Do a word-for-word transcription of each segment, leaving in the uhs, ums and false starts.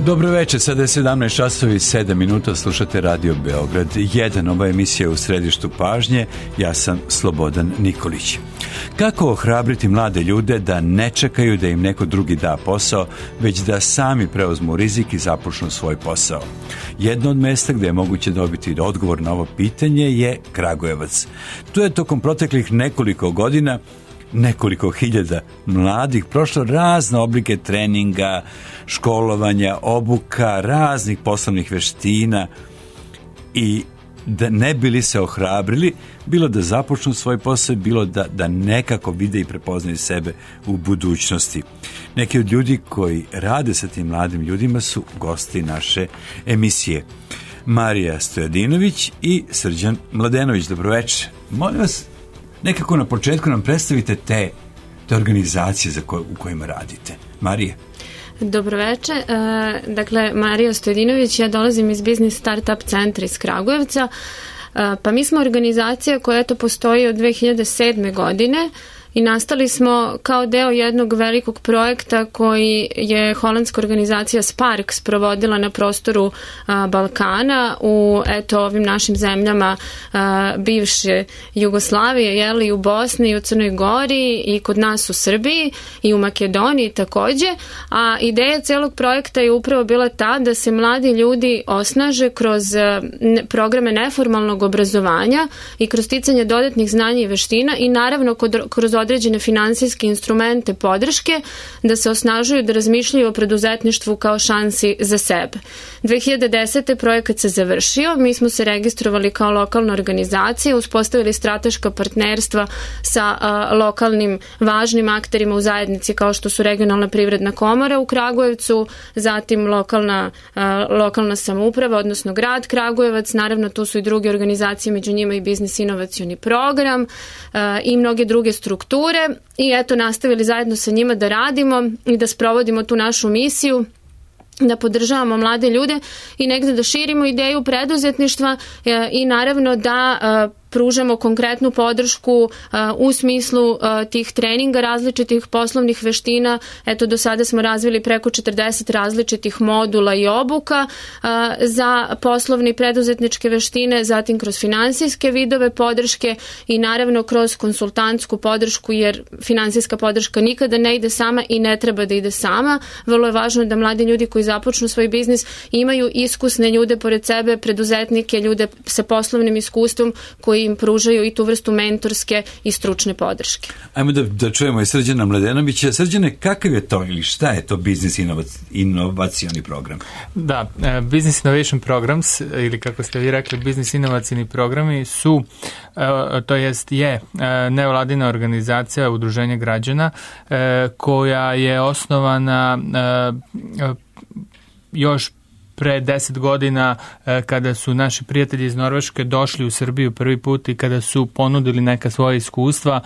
Dobro večer, sada je sedamnaest časova i sedam minuta, slušate Radio Beograd jedan, ova emisija je u središtu pažnje, ja sam Slobodan Nikolić. Kako ohrabriti mlade ljude da ne čekaju da im neko drugi da posao, već da sami preuzmu rizik i započnu svoj posao? Jedno od mesta gdje je moguće dobiti odgovor na ovo pitanje je Kragujevac. Tu je tokom proteklih nekoliko godina nekoliko hiljada mladih prošlo razne oblike treninga, školovanja, obuka, raznih poslovnih veština i da ne bili se ohrabrili, bilo da započnu svoj posao, bilo da, da nekako vide i prepoznaju sebe u budućnosti. Neki od ljudi koji rade sa tim mladim ljudima su gosti naše emisije. Marija Stojadinović i Srđan Mladenović. Dobroveče. Molim vas, nekako na početku nam predstavite te, te organizacije za koje, u kojima radite. Marija. Dobroveče, e, dakle Marija Stojadinović, ja dolazim iz Biznis Startup centra iz Kragujevca, e, pa mi smo organizacija koja eto postoji od dve hiljade sedme. godine i nastali smo kao deo jednog velikog projekta koji je holandska organizacija Sparks provodila na prostoru a, Balkana u eto ovim našim zemljama a, bivše Jugoslavije, jeli, i u Bosni i u Crnoj Gori i kod nas u Srbiji i u Makedoniji takođe, a ideja celog projekta je upravo bila ta da se mladi ljudi osnaže kroz a, ne, programe neformalnog obrazovanja i kroz sticanje dodatnih znanja i veština i naravno kod, kroz određene finansijske instrumente podrške da se osnažuju da razmišljaju o preduzetništvu kao šansi za sebe. dve hiljade desete. projekat se završio, mi smo se registrovali kao lokalna organizacija, uspostavili strateška partnerstva sa a, lokalnim važnim akterima u zajednici kao što su regionalna privredna komora u Kragujevcu, zatim lokalna, a, lokalna samouprava, odnosno grad Kragujevac, naravno tu su i druge organizacije, među njima i biznis inovacioni program a, i mnoge druge strukture. I eto, nastavili zajedno sa njima da radimo i da sprovodimo tu našu misiju, da podržavamo mlade ljude i negde da širimo ideju preduzetništva e, i naravno da e, pružamo konkretnu podršku uh, u smislu uh, tih treninga različitih poslovnih veština. Eto, do sada smo razvili preko četrdeset različitih modula i obuka uh, za poslovne i preduzetničke veštine, zatim kroz finansijske vidove podrške i naravno kroz konsultantsku podršku, jer finansijska podrška nikada ne ide sama i ne treba da ide sama. Vrlo je važno da mladi ljudi koji započnu svoj biznis imaju iskusne ljude pored sebe, preduzetnike, ljude sa poslovnim iskustvom koji im pružaju i tu vrstu mentorske i stručne podrške. Ajmo da, da čujemo i Srđana Mladenovića. Srđane, kakav je to ili šta je to Business inovacioni program? Da, uh, Business Innovation Programs ili kako ste vi rekli, Business inovacioni programi su, uh, to jest je uh, nevladina organizacija udruženja građana uh, koja je osnovana uh, uh, još pre deset godina kada su naši prijatelji iz Norveške došli u Srbiju prvi put i kada su ponudili neka svoja iskustva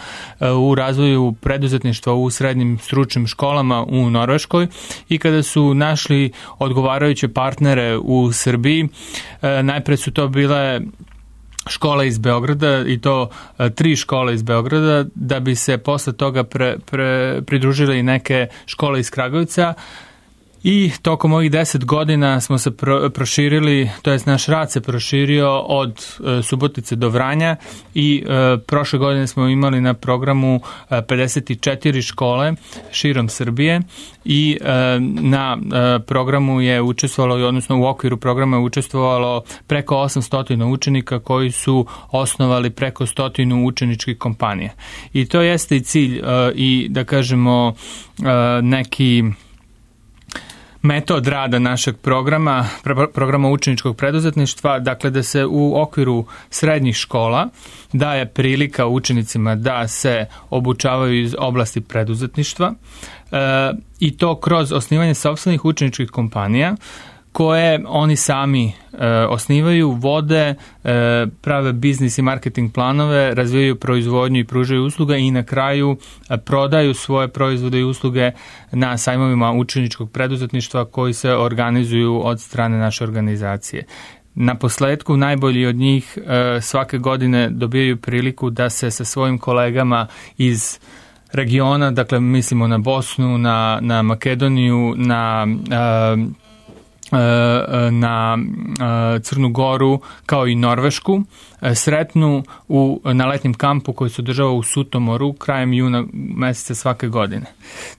u razvoju preduzetništva u srednjim stručnim školama u Norveškoj i kada su našli odgovarajuće partnere u Srbiji. Najpre su to bile škola iz Beograda i to tri škole iz Beograda, da bi se posle toga pre, pre, pridružile i neke škole iz Kragujevca. I tokom ovih deset godina smo se pro, proširili, to jest naš rad se proširio od e, Subotice do Vranja i e, prošle godine smo imali na programu e, pedeset četiri škole širom Srbije i e, na e, programu je učestvovalo, odnosno u okviru programa je učestvovalo preko osamsto učenika koji su osnovali preko stotinu učeničkih kompanija. I to jeste i cilj e, i da kažemo e, neki metod rada našeg programa, programa učeničkog preduzetništva, dakle da se u okviru srednjih škola daje prilika učenicima da se obučavaju iz oblasti preduzetništva e, i to kroz osnivanje sopstvenih učeničkih kompanija koje oni sami e, osnivaju, vode, e, prave biznis i marketing planove, razvijaju proizvodnju i pružaju usluga i na kraju e, prodaju svoje proizvode i usluge na sajmovima učeničkog preduzetništva koji se organizuju od strane naše organizacije. Na posledku najbolji od njih e, svake godine dobijaju priliku da se sa svojim kolegama iz regiona, dakle mislimo na Bosnu, na, na Makedoniju, na e, na Crnu Goru kao i Norvešku sretnu u, na letnjem kampu koji se održava u Sutomoru krajem juna meseca svake godine.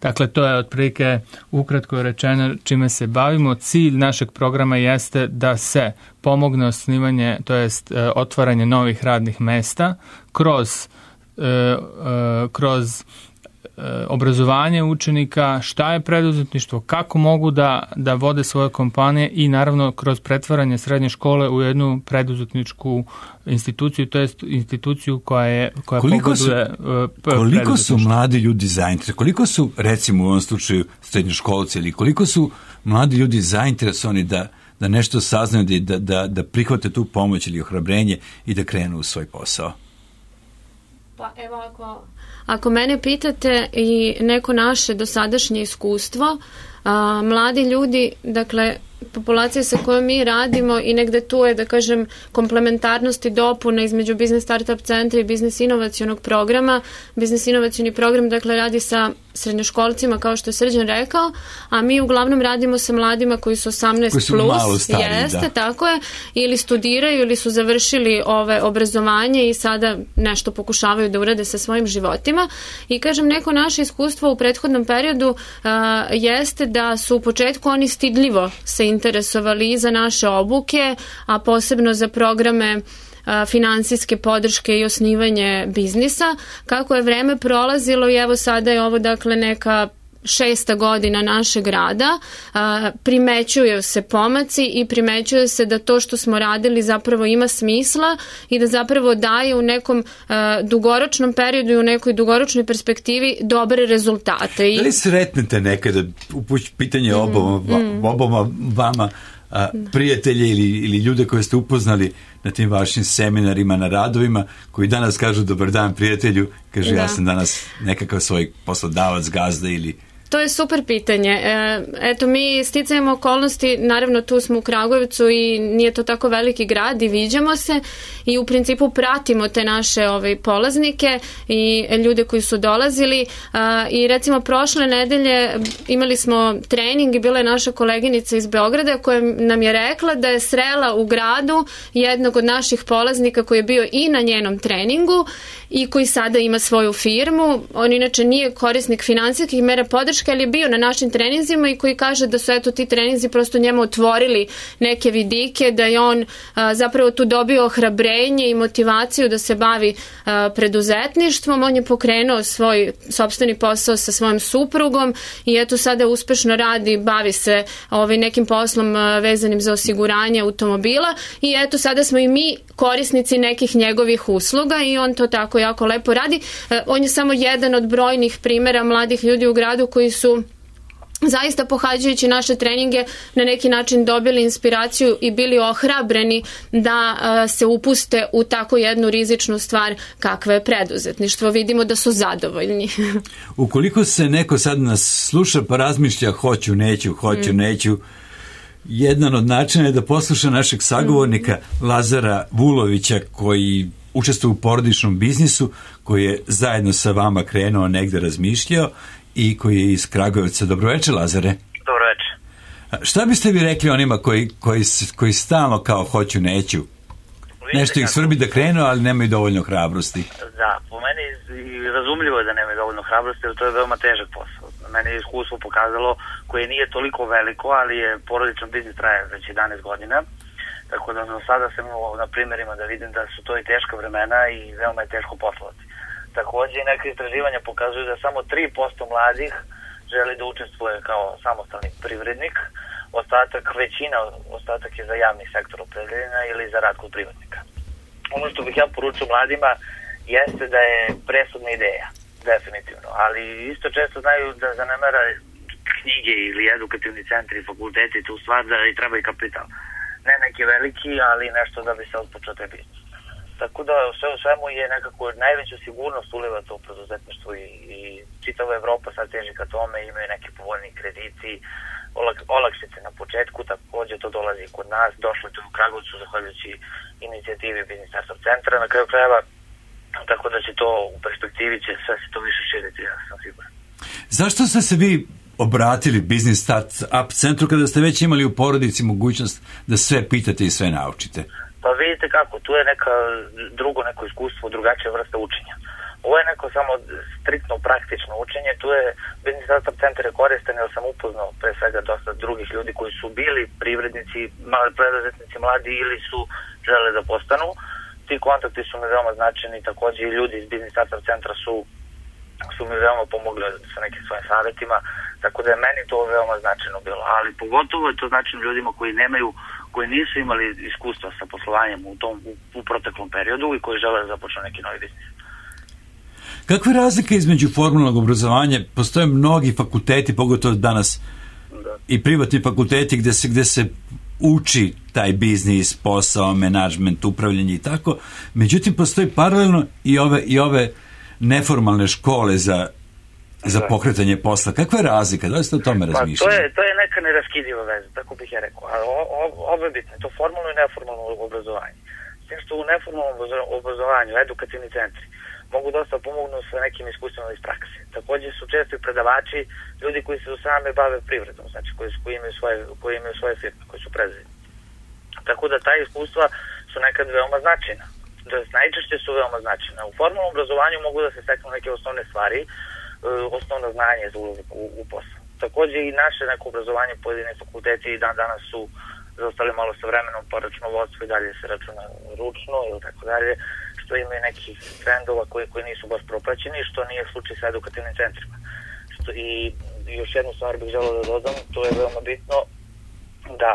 Dakle, to je otprilike ukratko rečeno čime se bavimo. Cilj našeg programa jeste da se pomogne osnivanje, to jest otvaranje novih radnih mesta kroz, kroz obrazovanje učenika, šta je preduzetništvo, kako mogu da, da vode svoje kompanije i naravno kroz pretvaranje srednje škole u jednu preduzetničku instituciju, to jest instituciju koja je koja koliko su, pogoduje koliko su mladi ljudi zainteresovani, koliko su recimo u ovom slučaju srednjoškolci ili koliko su mladi ljudi zainteresovani da, da nešto saznaju, da, da, da prihvate tu pomoć ili ohrabrenje i da krenu u svoj posao? Pa evo ako, ako mene pitate i neko naše dosadašnje iskustvo, a, mladi ljudi, dakle, populacija sa kojom mi radimo i negde tu je, da kažem, komplementarnost i dopuna između Biznis Startup centra i Biznis inovacionog programa. Biznis inovacioni program, dakle, radi sa srednjoškolcima, kao što je Srđan rekao, a mi uglavnom radimo sa mladima koji su osamnaest koji su plus, malo stariji, jeste, da. tako je, ili studiraju ili su završili ove obrazovanje i sada nešto pokušavaju da urade sa svojim životima. I kažem, neko naše iskustvo u prethodnom periodu uh, jeste da su u početku oni stidljivo se interesovali i za naše obuke, a posebno za programe finansijske podrške i osnivanje biznisa. Kako je vreme prolazilo i evo sada je ovo dakle neka šesta godina našeg rada, primećuju se pomaci i primećuje se da to što smo radili zapravo ima smisla i da zapravo daje u nekom dugoročnom periodu i u nekoj dugoročnoj perspektivi dobre rezultate. Da li sretnete nekada, upući pitanje oboma, mm. oboma vama, a, prijatelje ili, ili ljude koje ste upoznali na tim vašim seminarima, na radovima, koji danas kažu dobar dan prijatelju, kaže da. Ja sam danas nekakav svoj poslodavac, gazda ili... To je super pitanje. Eto, mi sticajemo okolnosti, naravno tu smo u Kragujevcu i nije to tako veliki grad i viđamo se i u principu pratimo te naše ovaj, polaznike i ljude koji su dolazili i recimo prošle nedelje imali smo trening i bila je naša koleginica iz Beograda koja nam je rekla da je srela u gradu jednog od naših polaznika koji je bio i na njenom treningu i koji sada ima svoju firmu. On inače nije korisnik finansijskih mera podrške, ali je bio na našim treninzima i koji kaže da su eto ti treninzi prosto njemu otvorili neke vidike, da je on a, zapravo tu dobio ohrabrenje i motivaciju da se bavi a, preduzetništvom. On je pokrenuo svoj sopstveni posao sa svojom suprugom i eto sada uspešno radi, bavi se ovaj, nekim poslom a, vezanim za osiguranje automobila i eto sada smo i mi korisnici nekih njegovih usluga i on to tako jako lepo radi. A, on je samo jedan od brojnih primjera mladih ljudi u gradu koji su zaista pohađajući naše treninge na neki način dobili inspiraciju i bili ohrabreni da a, se upuste u tako jednu rizičnu stvar kakva je preduzetništvo. Vidimo da su zadovoljni. Ukoliko se neko sad nas sluša pa razmišlja hoću, neću, hoću, mm. neću, jedan od načina je da posluša našeg sagovornika mm. Lazara Vulovića koji učestvuje u porodičnom biznisu, koji je zajedno sa vama krenuo negde razmišljao i koji je iz Kragujevca. Dobroveče, Lazare. Dobroveče. Šta biste vi rekli onima koji, koji, koji stalno kao hoću, neću? Vidite nešto ih svrbi da krenu, ali nemaju dovoljno hrabrosti. Da, po meni razumljivo je da nemaju dovoljno hrabrosti, jer to je veoma težak posao. Meni je iskustvo pokazalo, koje nije toliko veliko, ali je porodičan biznis traje već jedanaest godina. Tako da do sada sam na primjerima da vidim da su to i teška vremena i veoma je teško poslovati. Takođe, neke istraživanja pokazuju da samo tri posto mladih želi da učestvuje kao samostalni privrednik, ostatak, većina, ostatak je za javni sektor opredeljena ili za rad kod privatnika. Ono što bih ja poručio mladima jeste da je presudna ideja, definitivno, ali isto često znaju da zanemera knjige ili edukativni centri, fakulteti, tu stvar da i treba i kapital. Ne neki veliki, ali nešto da bi se odpočeo taj biznis. Tako da sve u svemu je nekako najveću sigurnost uliva to u preduzetništvu i, i čitava Evropa sad teži ka tome, imaju neki povoljni krediti, olak, olakšice na početku, takođe to dolazi i kod nas, došlo je to u Kragujevcu zahvaljujući inicijativi Biznis Startup centra na kraju krajeva, tako da će to u perspektivi će sve se to više širiti, ja sam siguran. Zašto ste se vi obratili Business Startup centru kada ste već imali u porodici mogućnost da sve pitate i sve naučite? Pa vidite kako, tu je neka drugo neko iskustvo, drugačija vrsta učenja. Ovo je neko samo striktno praktično učenje, tu je Business Startup centar je koristan, jer sam upoznao pre svega dosta drugih ljudi koji su bili privrednici, preduzetnici mladi ili su žele da postanu. Ti kontakti su mi veoma značajni, takođe i ljudi iz Business Startup centra su, su mi veoma pomogli sa nekim svojim savjetima, tako da je meni to veoma značajno bilo, ali pogotovo je to značajno ljudima koji nemaju, koji nisu imali iskustva sa poslovanjem u tom u, u proteklom periodu i koji žele da započnu neki novi biznis. Kakve razlike između formalnog obrazovanja? Postoje mnogi fakulteti, pogotovo danas da. I privatni fakulteti gde se, gde se uči taj biznis, posao, menadžment, upravljanje i tako. Međutim, postoji paralelno i ove, i ove neformalne škole za, za pokretanje posla. Kakva je razlika? Da li ste o tome razmišljali? Pa to je, to je neka neraskidiva veza, tako bih ja rekao. A ovo je bitno, to formalno i neformalno obrazovanje. S tim što u neformalnom obrazovanju, edukativni centri, mogu dosta pomognu sa nekim iskustvima iz prakse. Također su često i predavači, ljudi koji se sami bave privredom, znači koji, koji, imaju svoje, koji imaju svoje firme, koji su preduzetnici. Tako da ta iskustva su nekad veoma značajna. Da najčešće su veoma značajna. U formalnom obrazovanju mogu da se steknu neke osnovne stvari, osnovno znanje za ulazak u, u posao. Također i naše neko obrazovanje, pojedine fakulteti i dan danas su zaostali malo sa vremenom, pa računovodstvo i dalje se računa ručno ili tako dalje, što imaju nekih trendova koji, koji nisu baš propraćeni, što nije slučaj sa edukativnim centrima. Što, i još jednu stvar bih želeo da dodam, to je veoma bitno, da,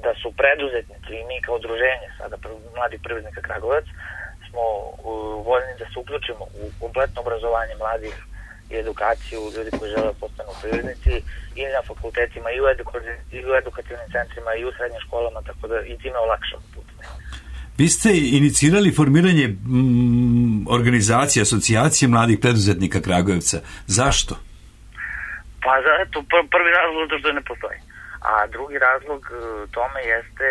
da su preduzetnici i mi kao udruženje, sada Mladi privrednika Kragujevac, smo voljni da se uključimo u kompletno obrazovanje mladih i edukaciju ljudi koji žele postanu privrednici i na fakultetima i u, eduka- i u edukativnim centrima i u srednjim školama, tako da i time olakšamo put. Vi ste inicirali formiranje mm, organizacije, asocijacije mladih preduzetnika Kragujevca. Zašto? Pa zato prvi razlog je što ne postoji. A drugi razlog tome jeste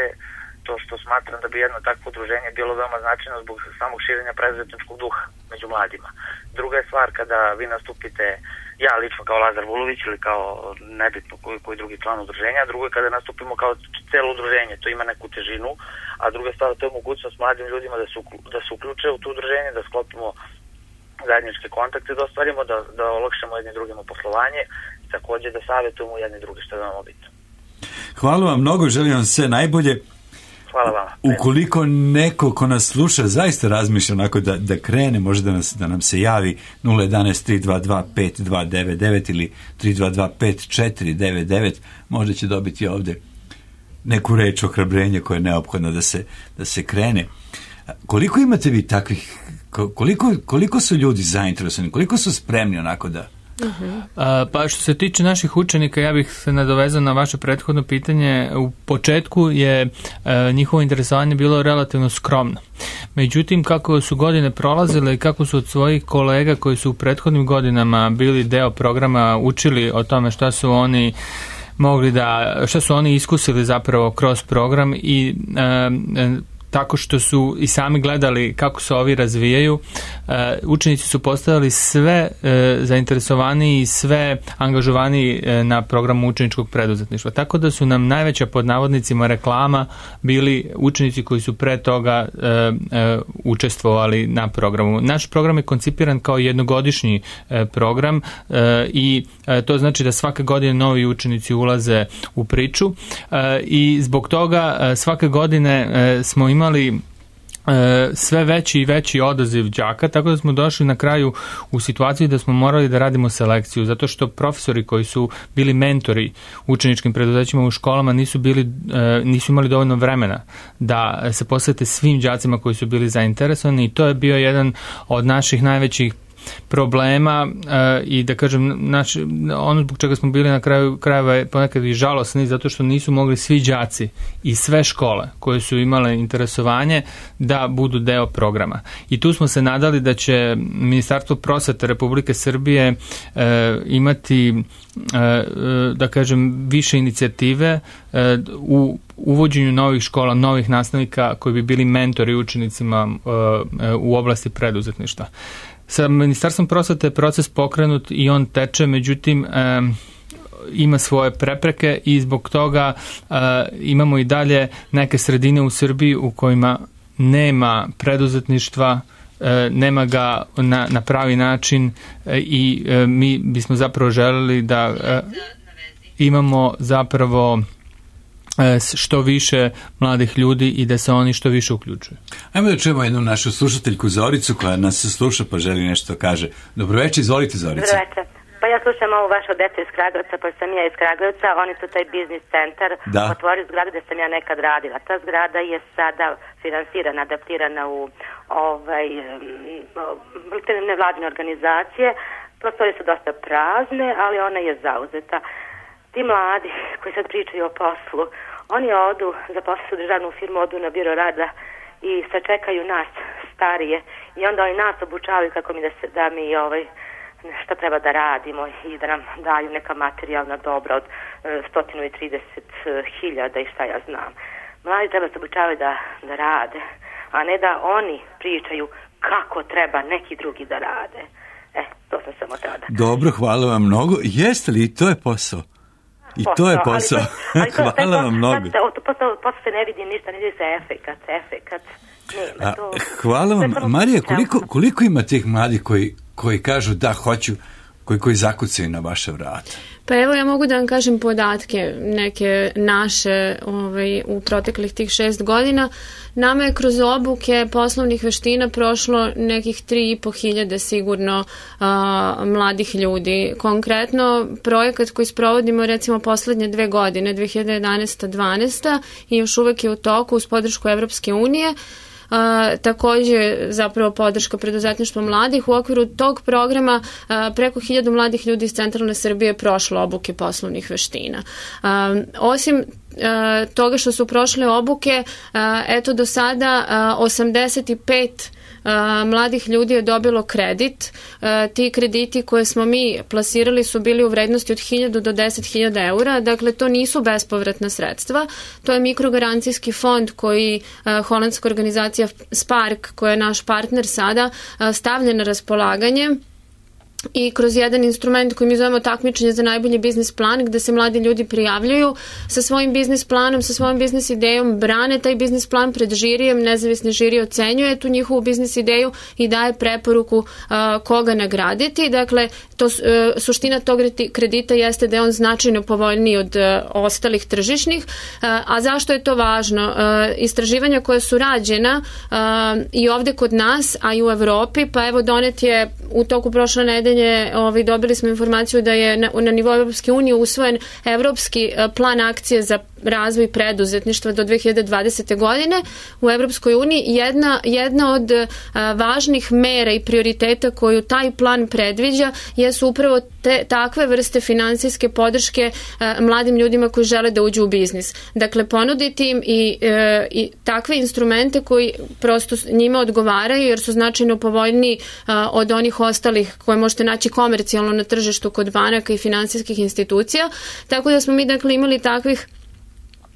to što smatram da bi jedno takvo udruženje bilo veoma značajno zbog samog širenja preduzetničkog duha među mladima. Druga je stvar kada vi nastupite, ja lično kao Lazar Vulović ili kao nebitno koji, koji drugi član udruženja, a drugo je kada nastupimo kao celo udruženje, to ima neku težinu, a druga stvar to je mogućnost mladim ljudima da se, da se uključe u to udruženje, da sklopimo zajedničke kontakte, da ostvarimo, da, da olakšamo jedni drugima poslovanje i također da savjetujemo jedni drugi, što je veoma bitno. Hvala vam mnogo, želim vam sve najbolje. Hvala vama. Ukoliko neko ko nas sluša zaista razmišlja onako da, da krene, može da, nas, da nam se javi nula jedanaest tri dva dva pet dva devet devet ili tri dva dva pet četiri devet devet, možda će dobiti ovde neku reč ohrabrenja koja je neophodna da se, da se krene. Koliko imate vi takvih, koliko, koliko su ljudi zainteresovani, koliko su spremni onako da... Uh-huh. A, pa što se tiče naših učenika, ja bih se nadovezao na vaše prethodno pitanje. U početku je a, njihovo interesovanje bilo relativno skromno. Međutim, kako su godine prolazile i kako su od svojih kolega koji su u prethodnim godinama bili deo programa učili o tome šta su oni mogli da, šta su oni iskusili zapravo kroz program i a, a, tako što su i sami gledali kako se ovi razvijaju, učenici su postavili sve zainteresovaniji i sve angažovaniji na programu učeničkog preduzetništva. Tako da su nam najveća pod navodnicima reklama bili učenici koji su pre toga učestvovali na programu. Naš program je koncipiran kao jednogodišnji program i to znači da svake godine novi učenici ulaze u priču i zbog toga svake godine smo imali imali sve veći i veći odaziv đaka, tako da smo došli na kraju u situaciju da smo morali da radimo selekciju, zato što profesori koji su bili mentori učeničkim preduzećima u školama nisu bili, nisu imali dovoljno vremena da se posvete svim đacima koji su bili zainteresovani i to je bio jedan od naših najvećih problema uh, i da kažem naš, ono zbog čega smo bili na kraju krajeva je ponekad i žalosni zato što nisu mogli svi đaci i sve škole koje su imale interesovanje da budu deo programa. I tu smo se nadali da će Ministarstvo prosvete Republike Srbije uh, imati uh, da kažem više inicijative uh, u uvođenju novih škola, novih nastavnika koji bi bili mentori učenicima uh, u oblasti preduzetništva. Sa Ministarstvom prosvete je proces pokrenut i on teče, međutim ima svoje prepreke i zbog toga uh, imamo i dalje neke sredine u Srbiji u kojima nema preduzetništva, uh, nema ga na, na pravi način uh, i uh, mi bismo zapravo želeli da uh, imamo zapravo što više mladih ljudi i da se oni što više uključuju. Ajmo da čujemo jednu našu slušateljku Zoricu koja nas sluša pa želi nešto kaže. Dobroveče, izvolite Zorica. Dobroveče. Pa ja slušam ovu vašu decu iz Kragujevca, pa sam ja iz Kragujevca, oni su taj biznis centar otvorili zgradu gde sam ja nekad radila. Ta zgrada je sada finansirana, adaptirana u ovaj, nevladine organizacije. Prostori su dosta prazne, ali ona je zauzeta. Ti mladi koji sad pričaju o poslu, oni odu, zaposle se u državnu firmu, odu na biro rada i sačekaju nas starije i onda oni nas obučavaju kako mi da, se, da mi ovaj, šta treba da radimo i da nam daju neka materijalna dobra od sto trideset hiljada i šta ja znam. Mladi treba se obučavaju da, da rade, a ne da oni pričaju kako treba neki drugi da rade. E, to sam samo tada. Dobro, hvala vam mnogo. Jeste li to je posao? I posao, to je posao. Ali to, ali to, hvala vam mnogo. Posao se ne vidi ništa, ne vidi se efekat, efekat. Nema, to, A, hvala vam. Marija, koliko, koliko ima tih mladih koji, koji kažu da hoću, koji, koji zakucaju na vaše vrata? Pa evo ja mogu da vam kažem podatke neke naše ovaj, u proteklih tih šest godina. Nama je kroz obuke poslovnih veština prošlo nekih tri i po hiljade sigurno a, mladih ljudi. Konkretno projekat koji sprovodimo recimo poslednje dve godine, dve hiljade jedanaesta dvanaesta i još uvek je u toku uz podršku Evropske unije. Uh, takođe zapravo podrška preduzetništva mladih. U okviru tog programa uh, preko hiljadu mladih ljudi iz centralne Srbije je prošlo obuke poslovnih veština. Uh, osim uh, toga što su prošle obuke, uh, eto do sada uh, osamdeset pet Uh, mladih ljudi je dobilo kredit. Uh, ti krediti koje smo mi plasirali su bili u vrednosti od hiljadu do deset hiljada eura, dakle to nisu bespovratna sredstva, to je mikrogarancijski fond koji uh, holandska organizacija Spark, koja je naš partner sada, uh, stavlja na raspolaganje i kroz jedan instrument koji mi zovemo takmičenje za najbolji biznis plan, gde se mladi ljudi prijavljuju sa svojim biznis planom, sa svojom biznis idejom, brane taj biznis plan pred žirijem, nezavisni žiri ocenjuje tu njihovu biznis ideju i daje preporuku uh, koga nagraditi. Dakle, to, uh, suština tog kredita jeste da je on značajno povoljniji od uh, ostalih tržišnih. Uh, a zašto je to važno? Uh, istraživanja koja su rađena uh, i ovde kod nas, a i u Evropi, pa evo donet je u toku prošle nedelje Ovaj, dobili smo informaciju da je na, na nivou Evropske unije usvojen evropski plan akcije za razvoj preduzetništva do dve hiljade dvadesete godine u Evropskoj uniji. Jedna, jedna od a, važnih mera i prioriteta koju taj plan predviđa jesu upravo te, takve vrste finansijske podrške a, mladim ljudima koji žele da uđu u biznis. Dakle, ponuditi im i, e, i takve instrumente koji prosto njima odgovaraju jer su značajno povoljniji a, od onih ostalih koje možete naći komercijalno na tržištu kod banaka i finansijskih institucija. Tako da smo mi dakle imali takvih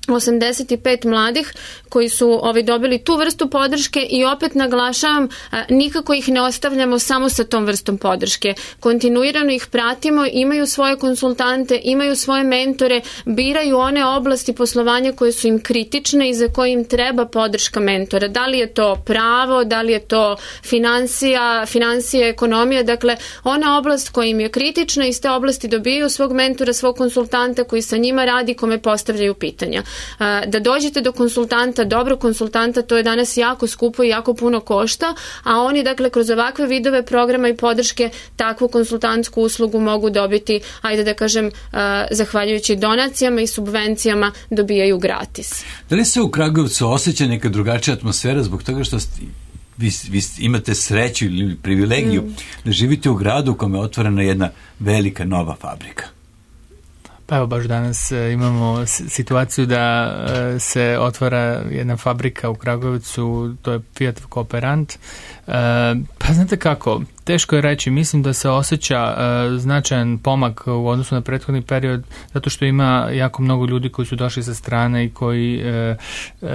osamdeset pet mladih koji su ovaj, dobili tu vrstu podrške i opet naglašavam, a, nikako ih ne ostavljamo samo sa tom vrstom podrške. Kontinuirano ih pratimo, imaju svoje konsultante, imaju svoje mentore, biraju one oblasti poslovanja koje su im kritične i za koje im treba podrška mentora. Da li je to pravo, da li je to financija, financija, ekonomija, dakle ona oblast koja im je kritična, iz te oblasti dobijaju svog mentora, svog konsultanta koji sa njima radi, kome postavljaju pitanja. Da dođete do konsultanta, dobro konsultanta, to je danas jako skupo i jako puno košta, a oni dakle kroz ovakve vidove programa i podrške takvu konsultantsku uslugu mogu dobiti, ajde da kažem, zahvaljujući donacijama i subvencijama dobijaju gratis. Da li se u Kragujevcu osjeća neka drugačija atmosfera zbog toga što ste, vi, vi imate sreću ili privilegiju mm. da živite u gradu u kome je otvorena jedna velika nova fabrika? Pa evo baš danas imamo situaciju da se otvara jedna fabrika u Kragujevcu, to je Fiat Kooperant. Pa znate kako, teško je reći, mislim da se osjeća uh, značajan pomak u odnosu na prethodni period, zato što ima jako mnogo ljudi koji su došli sa strane i koji uh, uh,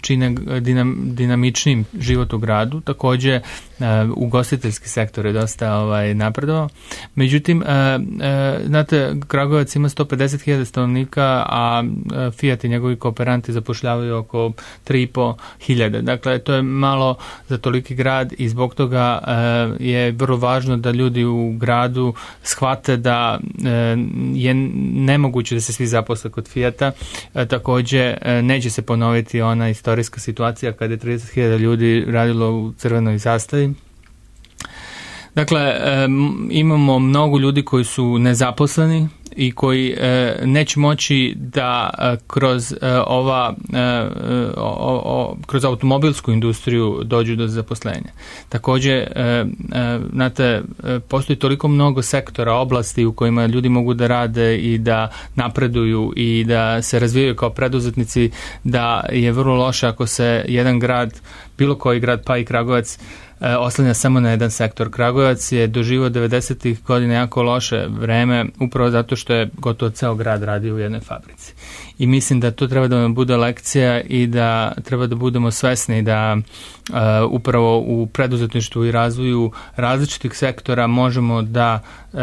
čine dinam, dinamičnim život u gradu. Takođe, uh, ugostiteljski sektor je dosta ovaj, napredovao. Međutim, uh, uh, znate, Kragujevac ima sto pedeset hiljada stanovnika, a uh, Fiat i njegovi kooperanti zapošljavaju oko tri i po hiljade. Dakle, to je malo za toliki grad i zbog toga uh, je vrlo važno da ljudi u gradu shvate da uh, je nemoguće da se svi zaposle kod Fiata. Uh, takođe, uh, neće se ponoviti ona istorijska situacija kada je trideset hiljada ljudi radilo u crvenoj zastavi. Dakle, um, imamo mnogo ljudi koji su nezaposleni i koji e, neće moći da e, kroz e, ova e, o, o, kroz automobilsku industriju dođu do zaposlenja. Takođe, e, e, znate, postoji toliko mnogo sektora, oblasti u kojima ljudi mogu da rade i da napreduju i da se razvijaju kao preduzetnici, da je vrlo loše ako se jedan grad, bilo koji grad, pa i Kragujevac, oslanja samo na jedan sektor. Kragujevac je doživio devedesetih godina jako loše vreme, upravo zato što je gotovo ceo grad radio u jednoj fabrici. I mislim da to treba da nam bude lekcija i da treba da budemo svesni da uh, upravo u preduzetništvu i razvoju različitih sektora možemo da uh,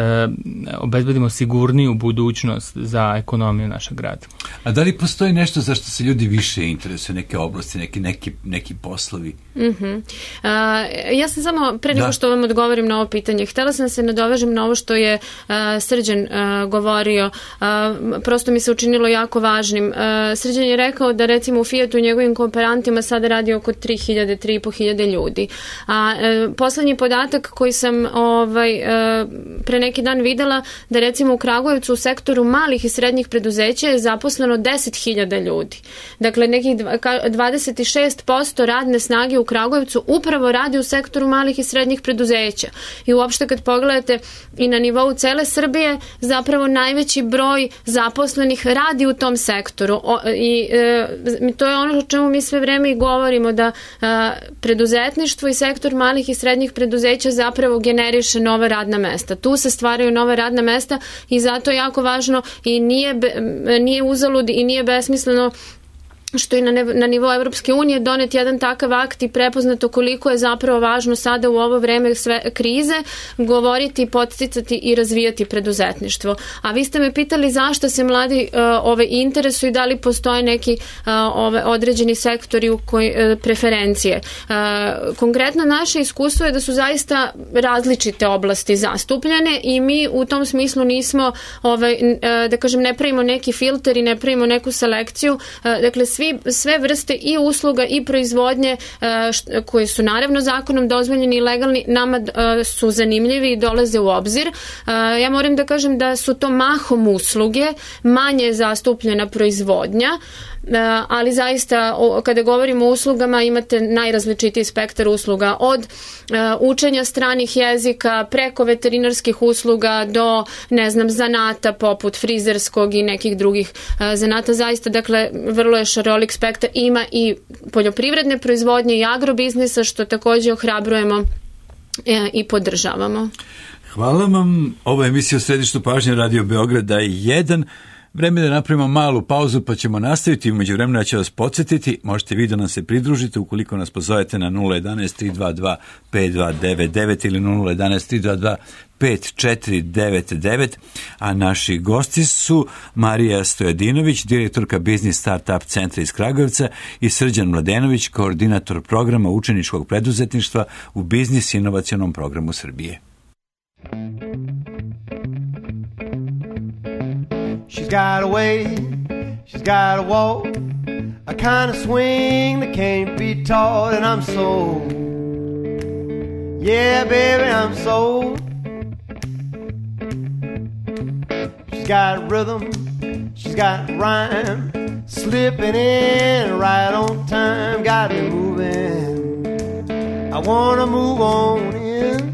obezbedimo sigurniju budućnost za ekonomiju našeg grada. A da li postoji nešto za što se ljudi više interesuju, neke oblasti, neki, neki, neki poslovi? Mm-hmm. Uh, ja sam samo, pre nego što vam odgovorim na ovo pitanje, htela sam se nadovežem na ovo što je uh, Srđan uh, govorio. Uh, prosto mi se učinilo jako važnim. Uh, Srđan je rekao da recimo u Fiatu i njegovim kooperantima sada radi oko tri hiljade, tri i po hiljade ljudi. A uh, poslednji podatak koji sam ovaj, uh, pre neki dan videla, da recimo u Kragujevcu u sektoru malih i srednjih preduzeća je zaposleno deset hiljada ljudi. Dakle, nekih dvadeset šest posto radne snage u Kragujevcu upravo radi u sektoru malih i srednjih preduzeća. I uopšte kad pogledate i na nivou cele Srbije, zapravo najveći broj zaposlenih radi u tom sektoru. O, i e, to je ono o čemu mi sve vreme i govorimo, da a, preduzetništvo i sektor malih i srednjih preduzeća zapravo generiše nova radna mesta. Tu se stvaraju nova radna mesta i zato je jako važno i nije, nije uzalud i nije besmisleno što i na, na nivou Evropske unije donet jedan takav akt i prepoznato koliko je zapravo važno sada u ovo vreme sve krize govoriti, podsticati i razvijati preduzetništvo. A vi ste me pitali zašto se mladi uh, ove interesuju i da li postoje neki uh, ove određeni sektori u koji, uh, preferencije. Uh, konkretno naše iskustvo je da su zaista različite oblasti zastupljene i mi u tom smislu nismo, ovaj, uh, da kažem, ne pravimo neki filter i ne pravimo neku selekciju. Uh, dakle, svi Svi, sve vrste i usluga i proizvodnje uh, koje su naravno zakonom dozvoljeni i legalni nama uh, su zanimljivi i dolaze u obzir. Uh, ja moram da kažem da su to mahom usluge, manje je zastupljena proizvodnja, Uh, ali zaista o, kada govorimo o uslugama imate najrazličitiji spektar usluga od uh, učenja stranih jezika preko veterinarskih usluga do, ne znam, zanata poput frizerskog i nekih drugih uh, zanata. Zaista, dakle, vrlo je šarolik spektar. Ima i poljoprivredne proizvodnje i agrobiznisa, što takođe ohrabrujemo uh, i podržavamo. Hvala vam. Ovo je emisija u središtu pažnje Radio Beograda jedan. Vreme da napravimo malu pauzu pa ćemo nastaviti. Umeđu vremena ću vas podsjetiti, možete vi da nam se pridružite ukoliko nas pozovete na nula jedanaest tri dva dva pet dva devet devet ili nula jedanaest tri dva dva pet četiri devet devet, a naši gosti su Marija Stojadinović, direktorka Biznis Startup centra iz Kragujevca, i Srđan Mladenović, koordinator programa učeničkog preduzetništva u Biznis inovacionom programu Srbije. She's got a way, she's got a walk, a kind of swing that can't be taught, and I'm so, yeah, baby, I'm so. She's got rhythm, she's got rhyme, slipping in right on time, got me moving, I wanna move on in.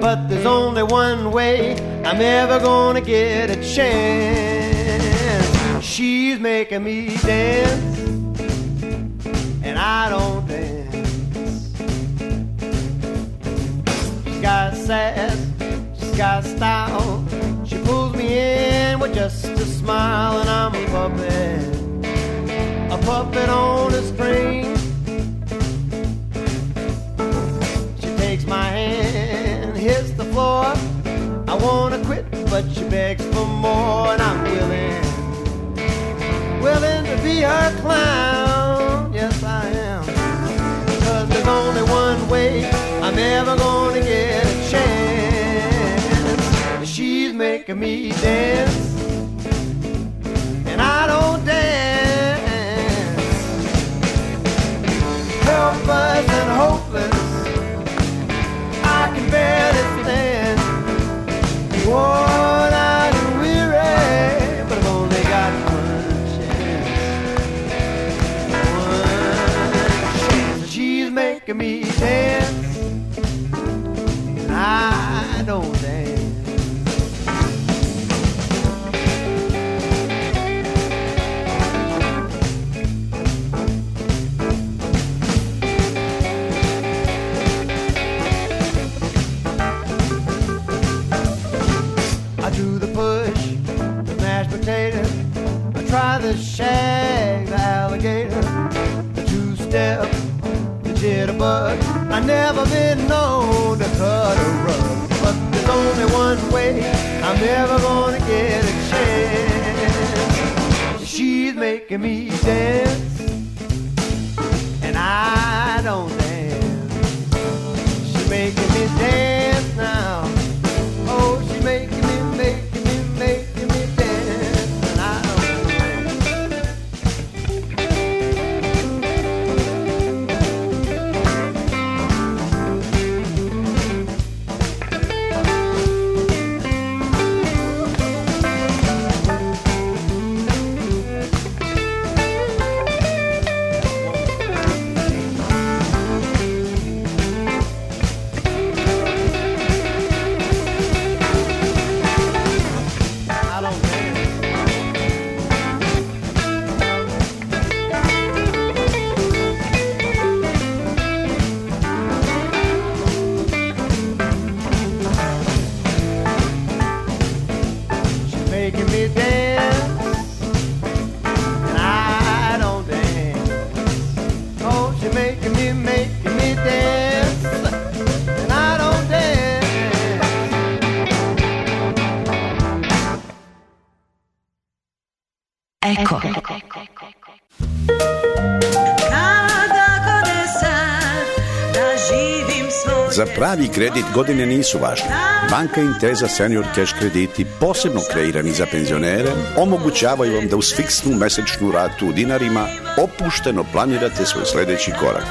But there's only one way I'm ever gonna get a chance. She's making me dance, and I don't dance. got sass, she's got style. She pulls me in with just a smile, and I'm a puppet, a puppet on a string. She takes my hand, hits the floor. I wanna quit, but she begs for more, and I'm willing, willing to be her clown. Yes, I am. Cause there's only one way I'm ever gonna get a chance. She's making me dance, and I don't dance. Helpless and hopeless, I can barely stand. Worn out and weary, but I've only got one chance. One chance. She's making me dance, and I don't dance. I try the shag, the alligator, the two-step, the jitterbug. I never been known to cut a rug, but there's only one way I'm never gonna get a chance. She's making me dance, and I don't dance. She's making me dance now. Oh, she's making me, making me, making me dance. Eko. Za pravi kredit godine nisu važne. Banka Intesa Senior Cash krediti, posebno kreirani za penzionere, omogućavaju vam da uz fiksnu mesečnu ratu u dinarima opušteno planirate svoj sledeći korak.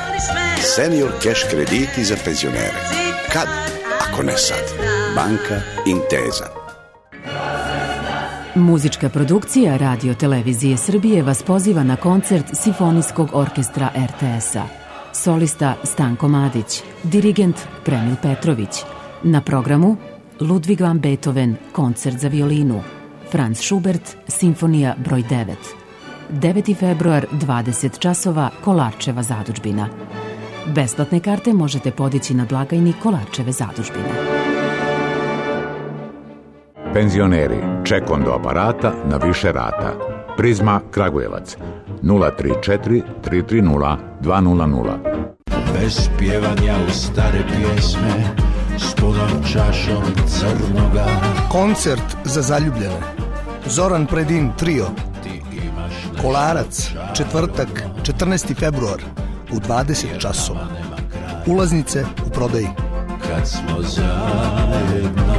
Senior Cash krediti za penzionere. Kad, ako ne sad? Banka Intesa. Muzička produkcija Radio Televizije Srbije vas poziva na koncert Simfonijskog orkestra er te es-a. Solista Stanko Madić, dirigent Premil Petrović. Na programu Ludwig van Beethoven, koncert za violinu, Franz Schubert, simfonija broj devet. deveti februar, dvadeset časova, Kolarčeva zadužbina. Besplatne karte možete podići na blagajni Kolarčeve zadužbine. Penzioneri, ček do aparata na više rata. Prizma Kragujevac nula tri četiri tri tri nula dva nula nula. Bez pjevanja u stare pjesme s punom čašom crnoga. Koncert za zaljubljene. Zoran Predin trio. Kolarac, četvrtak, četrnaesti februar u dvadeset časova. Ulaznice u prodaji. Kad smo zajedno.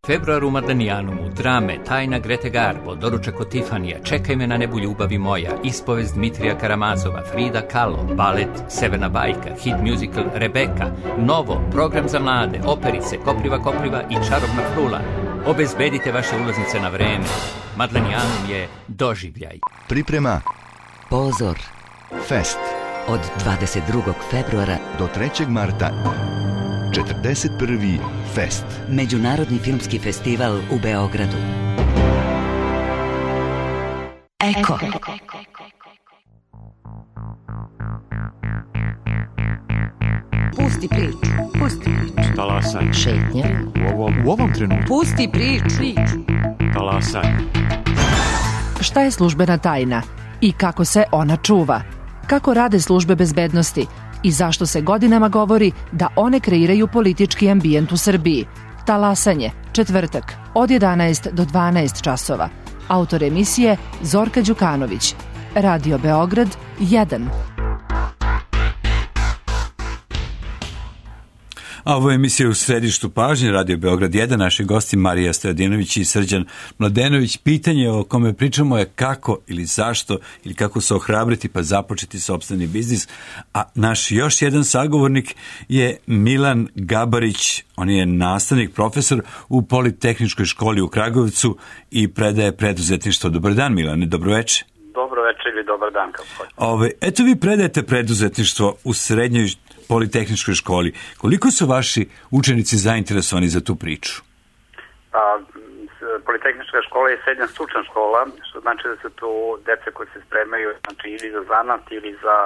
Februar u Madanijanumu, drame, tajna Grete Garbo, doručak od Tifanija, Čekaj me na nebu ljubavi moja, ispovest Dmitrija Karamazova, Frida Kahlo, balet Severna bajka, hit musical Rebeka, Novo, program za mlade, operice, Kopriva Kopriva i Čarobna frula. Obezbedite vaše ulaznice na vreme. Madanijanum je doživljaj. Priprema Pozor Fest od dvadeset drugog februara do trećeg marta. četrdeset prvi Fest. Međunarodni filmski festival u Beogradu. Eko. Pusti priču. Pusti priču. Talasaj. Šetnja. U ovom, u ovom trenutku. Pusti priču. Talasaj. Šta je službena tajna i kako se ona čuva? Kako rade službe bezbednosti i zašto se godinama govori da one kreiraju politički ambijent u Srbiji? Talasanje, četvrtak, od jedanaest do dvanaest časova. Autor emisije Zorka Đukanović. Radio Beograd jedan. A ovo je emisija U središtu pažnje, Radio Beograd jedan, naši gosti Marija Stojadinović i Srđan Mladenović. Pitanje o kome pričamo je kako ili zašto ili kako se ohrabriti pa započeti sopstveni biznis. A naš još jedan sagovornik je Milan Gabarić. On je nastavnik, profesor u Politehničkoj školi u Kragujevcu i predaje preduzetništvo. Dobar dan, Milane, dobro večer. Dobro večer ili dobar dan. Ove, eto vi predajete preduzetništvo u srednjoj Politehničkoj školi. Koliko su vaši učenici zainteresovani za tu priču? Pa, Politehnička škola je srednja stručna škola, što znači da su tu dece koji se spremaju znači, ili za zanat ili za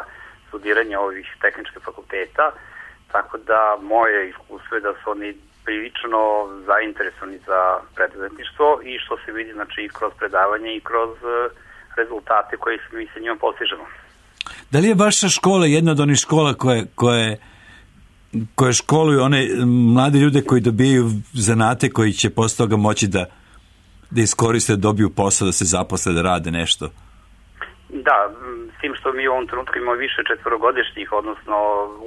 studiranje ovih tehničkih fakulteta, tako da moje iskustvo je da su oni prilično zainteresovani za preduzetništvo i što se vidi znači, i kroz predavanje i kroz rezultate koje mi se njima postižemo. Da li je vaša škola jedna od onih škola koje, koje, koje školuju one mlade ljude koji dobijaju zanate koji će posle toga moći da, da iskoriste, da dobiju posao, da se zaposle, da rade nešto? Da, s tim što mi u ovom trenutku imamo više četvorogodišnjih, odnosno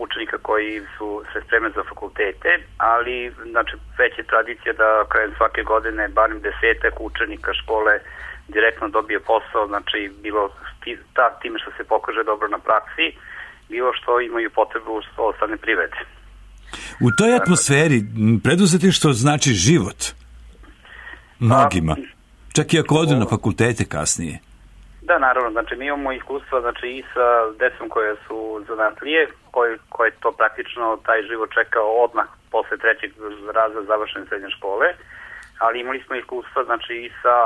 učenika koji su se spremni za fakultete, ali znači, već je tradicija da krajem svake godine barem desetak učenika škole direktno dobije posao, znači bilo ta, time što se pokaže dobro na praksi, bilo što imaju potrebu što ostane privrede. U toj atmosferi preduzetništvo znači život mnogima, čak i ako odu na fakultete kasnije. Da, naravno, znači mi imamo iskustva znači, i sa decom koje su zanatlije, koje, koje to praktično taj život čekao odmah posle trećeg razreda završene srednje škole, ali imali smo iskustva znači i sa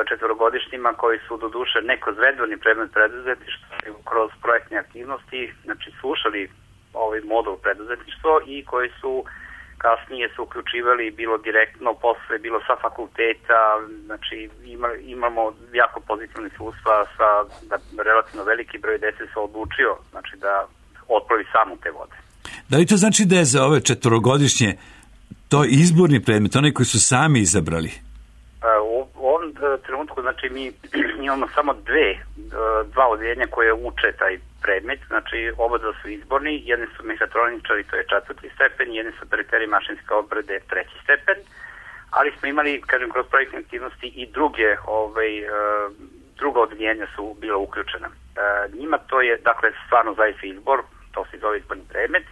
četvorogodišnjima koji su do duše ne kroz redovni predmet preduzetništva, kroz projektne aktivnosti, znači slušali ovaj modul preduzetništvo i koji su kasnije se uključivali bilo direktno posle, bilo sa fakulteta, znači ima, imamo jako pozitivne iskustva sa da relativno veliki broj dece se odlučio znači da otpravi samo te vode. Da li to znači da je za ove četvorogodišnje to izborni predmet, one koji su sami izabrali? U ovom trenutku, znači, mi imamo samo dve, dva odjeljenja koje uče taj predmet, znači, oba dva su izborni, jedni su mehatroničari, to je četvrti stepen, jedni su operateri mašinske obrade, treći stepen, ali smo imali, kažem, kroz projektne aktivnosti i druge, ovaj, druga odjeljenja su bila uključena. Njima to je, dakle, stvarno zaista izbor, to se zove izborni predmet,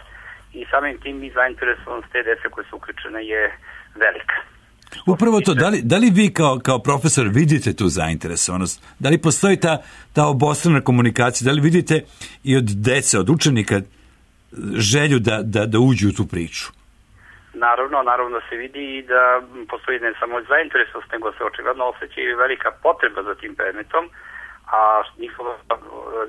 i samim tim i zainteresovanost te dece koje su uključene je velika. Upravo to, da li, da li vi kao, kao profesor vidite tu zainteresovanost? Da li postoji ta, ta obostrana komunikacija? Da li vidite i od dece, od učenika želju da, da, da uđu u tu priču? Naravno, naravno da se vidi i da postoji ne samo zainteresovanost, nego se očigledno osjeća i velika potreba za tim predmetom, a njihovo,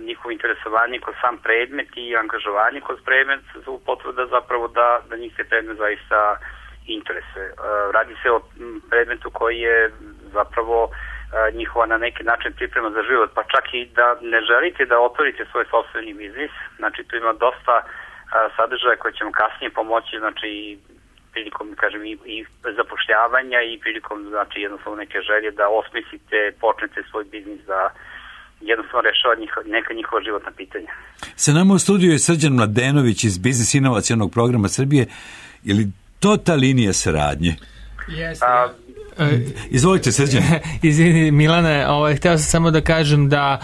njihovo interesovanje kroz sam predmet i angažovanje kroz predmet su potvrda zapravo da, da njih se predmet zaista interese. Radi se o predmetu koji je zapravo njihova na neki način priprema za život, pa čak i da ne želite da otvorite svoj sopstveni biznis, znači tu ima dosta sadržaja koje će vam kasnije pomoći, znači prilikom, kažem, i, i zapošljavanja i prilikom, znači jednostavno neke želje da osmislite, počnete svoj biznis, da jednostavno rešava njih, neka njihova životna pitanja. Sa nama u studiju je Srđan Mladenović iz Biznis inovacionog programa Srbije. Je li to ta linija saradnje? Jeste. Uh, Izvolite, Srđan. Izvini, Milane, ovaj, hteo sam samo da kažem da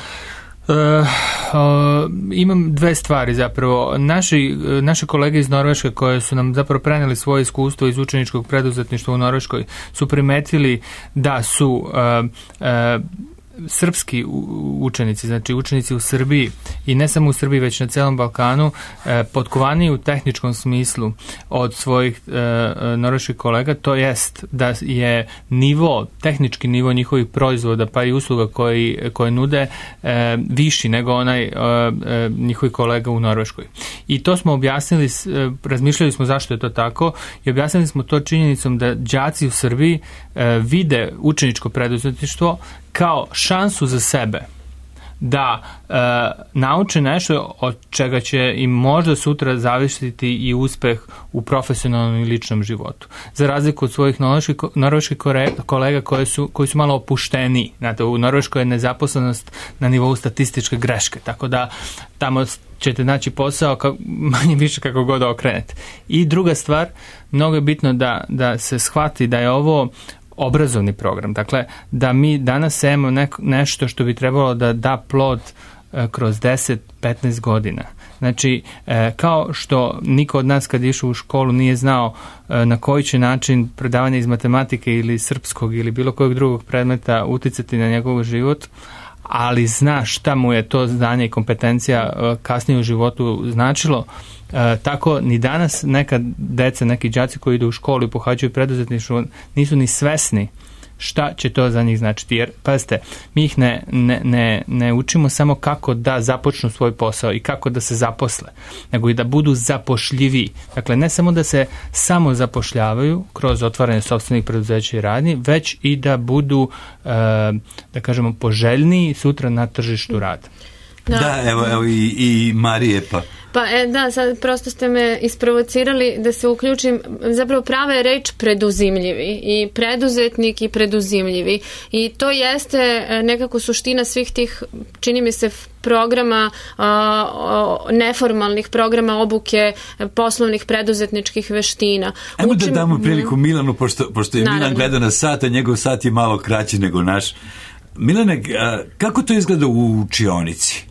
Uh, uh, imam dve stvari zapravo. Naši, naše kolege iz Norveške koje su nam zapravo preneli svoje iskustvo iz učeničkog preduzetništva u Norveškoj su primetili da su uh, uh, srpski učenici, znači učenici u Srbiji i ne samo u Srbiji, već na celom Balkanu, e, potkovaniji u tehničkom smislu od svojih e, norveških kolega, to jest da je nivo, tehnički nivo njihovih proizvoda pa i usluga koji, koje nude e, viši nego onaj e, e, njihovi kolega u Norveškoj. I to smo objasnili, e, razmišljali smo zašto je to tako i objasnili smo to činjenicom da đaci u Srbiji e, vide učeničko preduzetništvo kao šansu za sebe da e, nauče nešto od čega će im možda sutra zavisiti i uspeh u profesionalnom i ličnom životu. Za razliku od svojih norveških kolega koji su, koji su malo opušteniji. Znate, u Norveškoj je nezaposlenost na nivou statističke greške, tako da tamo ćete naći posao kako, manje više kako god okrenete. I druga stvar, mnogo je bitno da, da se shvati da je ovo obrazovni program. Dakle, da mi danas sejemo ne, nešto što bi trebalo da da plod e, kroz deset do petnaest godina. Znači, e, kao što niko od nas kad je išao u školu nije znao e, na koji će način predavanje iz matematike ili srpskog ili bilo kojeg drugog predmeta uticati na njegov život, ali zna šta mu je to znanje i kompetencija e, kasnije u životu značilo. E, tako ni danas neka deca, neki đaci koji idu u školu i pohađaju preduzetništvo nisu ni svesni šta će to za njih značiti. Jer, pazite, mi ih ne, ne, ne, ne učimo samo kako da započnu svoj posao i kako da se zaposle, nego i da budu zapošljiviji. Dakle, ne samo da se samo zapošljavaju kroz otvaranje sopstvenih preduzeća i radnji, već i da budu, e, da kažemo, poželjniji sutra na tržištu rada. Da, da evo, evo i, i Marije pa... Pa e, da, sad prosto ste me isprovocirali da se uključim. Zapravo prava je reč preduzimljivi i preduzetnik i preduzimljivi i to jeste nekako suština svih tih, čini mi se, programa, a, neformalnih programa obuke poslovnih preduzetničkih veština. Ajmo Učim... da damo priliku Milanu, pošto, pošto je Naravno. Milan gleda na sat, a njegov sat je malo kraći nego naš. Milane, kako to izgleda u učionici?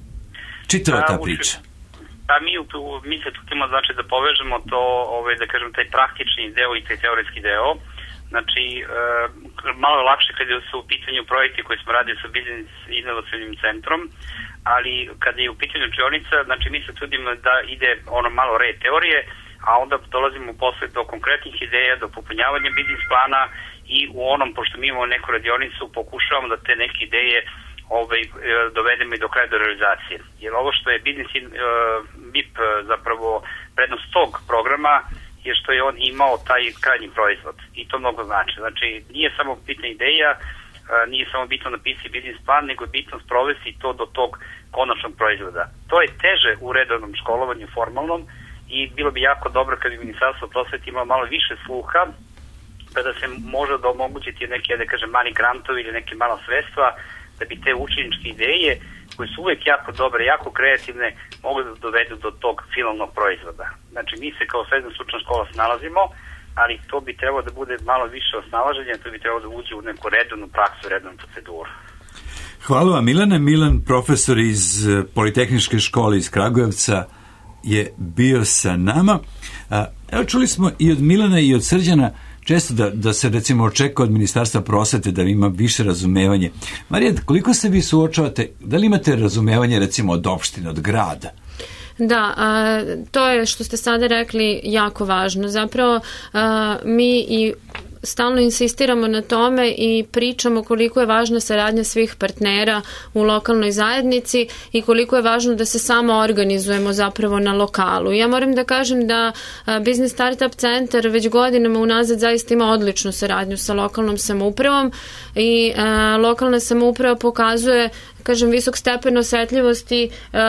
Čitava ta priča. Pa mi, mi se tukimo znači da povežemo to, ovaj, da kažem, taj praktični deo i taj teoretski deo. Znači, e, malo je lakše kada su u pitanju projekti koji smo radili sa Biznis inovacijnim centrom, ali kada je u pitanju učionica, znači mi se trudimo da ide ono malo red teorije, a onda dolazimo posle do konkretnih ideja, do popunjavanja biznis plana i u onom, pošto mi imamo neku radionicu, pokušavamo da te neke ideje ovaj, dovedemo i do kraja do realizacije. Jer ovo što je biznis uh, B I P zapravo prednost tog programa je što je on imao taj krajnji proizvod i to mnogo znači. Znači nije samo bitna ideja, uh, nije samo bitno napisati biznis plan, nego je bitno sprovesti to do tog konačnog proizvoda. To je teže u redovnom školovanju formalnom i bilo bi jako dobro kad bi Ministarstvo prosvete imalo malo više sluha kada se može da omogućiti neke, da kažem, mali grantovi ili neke mala sredstva da bi te učeničke ideje, koje su uvek jako dobre, jako kreativne, mogu da dovedu do tog finalnog proizvoda. Znači, mi se kao srednja stručna škola snalazimo, ali to bi trebalo da bude malo više osnalaženja, to bi trebalo da uđe u neku redovnu praksu, redovnu proceduru. Hvala vam, Milane. Milan, profesor iz Politehničke škole iz Kragujevca, je bio sa nama. Evo, čuli smo i od Milana i od Srđana često da, da se recimo očeka od Ministarstva prosvete da ima više razumevanje. Marija, koliko se vi suočavate, da li imate razumevanje recimo od opštine, od grada? Da, a, to je što ste sada rekli jako važno. Zapravo a, mi i stalno insistiramo na tome i pričamo koliko je važna saradnja svih partnera u lokalnoj zajednici i koliko je važno da se samo organizujemo zapravo na lokalu. Ja moram da kažem da Biznis Startup centar već godinama unazad zaista ima odličnu saradnju sa lokalnom samoupravom i a, lokalna samouprava pokazuje, kažem, visok stepen osetljivosti uh,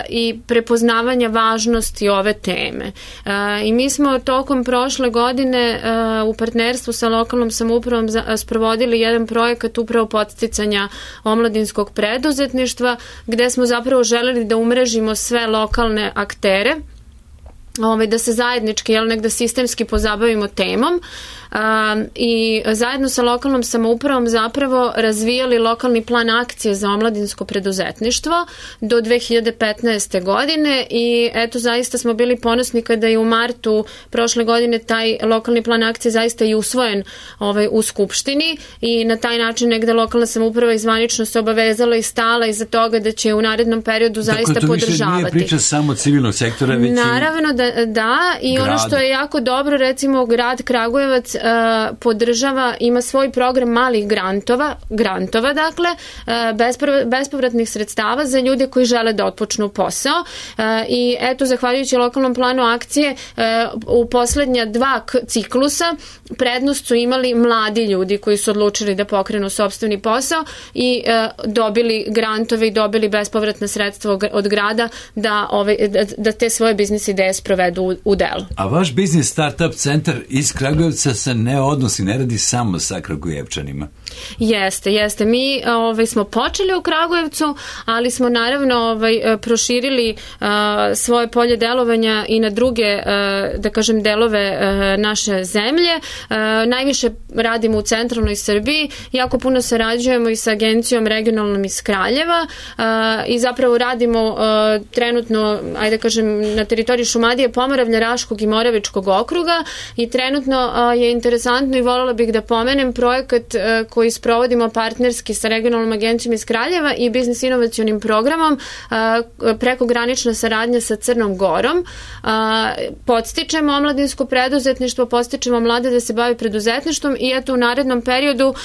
i prepoznavanja važnosti ove teme. Uh, I mi smo tokom prošle godine uh, u partnerstvu sa lokalnom samoupravom za, sprovodili jedan projekat upravo podsticanja omladinskog preduzetništva, gde smo zapravo želeli da umrežimo sve lokalne aktere, Ovaj, da se zajednički, jel, negde sistemski pozabavimo temom. i zajedno sa lokalnom samoupravom zapravo razvijali lokalni plan akcije za omladinsko preduzetništvo do dve hiljade petnaeste. godine i eto zaista smo bili ponosni kada je u martu prošle godine taj lokalni plan akcije zaista i usvojen ovaj, u Skupštini i na taj način negde lokalna samouprava izvanično se obavezala i stala iza toga da će u narednom periodu zaista dakle, to podržavati. Više nije priča samo civilnog sektora, već naravno da, da i grada. Ono što je jako dobro, recimo grad Kragujevac uh, podržava, ima svoj program malih grantova, grantova dakle, uh, bespovratnih sredstava za ljude koji žele da otpočnu posao uh, i eto, zahvaljujući lokalnom planu akcije uh, u poslednja dva ciklusa prednost su imali mladi ljudi koji su odlučili da pokrenu sopstveni posao i uh, dobili grantove i dobili bespovratna sredstva od grada da, ove, da, da te svoje biznis ideje sprovedu u, u delu. A vaš biznis startup centar iz Kragujevca se ne odnosi, ne radi samo sa Kragujevčanima. Jeste, jeste. Mi ovaj, smo počeli u Kragujevcu, ali smo naravno ovaj, proširili uh, svoje polje delovanja i na druge, uh, da kažem, delove uh, naše zemlje. Uh, najviše radimo u centralnoj Srbiji, jako puno sarađujemo i sa agencijom regionalnom iz Kraljeva uh, i zapravo radimo uh, trenutno, ajde kažem, na teritoriji Šumadije, Pomoravlja, Raškog i Moravičkog okruga i trenutno uh, je interesantno i voljela bih da pomenem projekat uh, koji sprovodimo partnerski sa regionalnom agencijom iz Kraljeva i biznis inovacionim programom uh, prekogranična saradnja sa Crnom Gorom. Uh, podstičemo omladinsko preduzetništvo, podstičemo mlade da se bave preduzetništvom i eto u narednom periodu uh,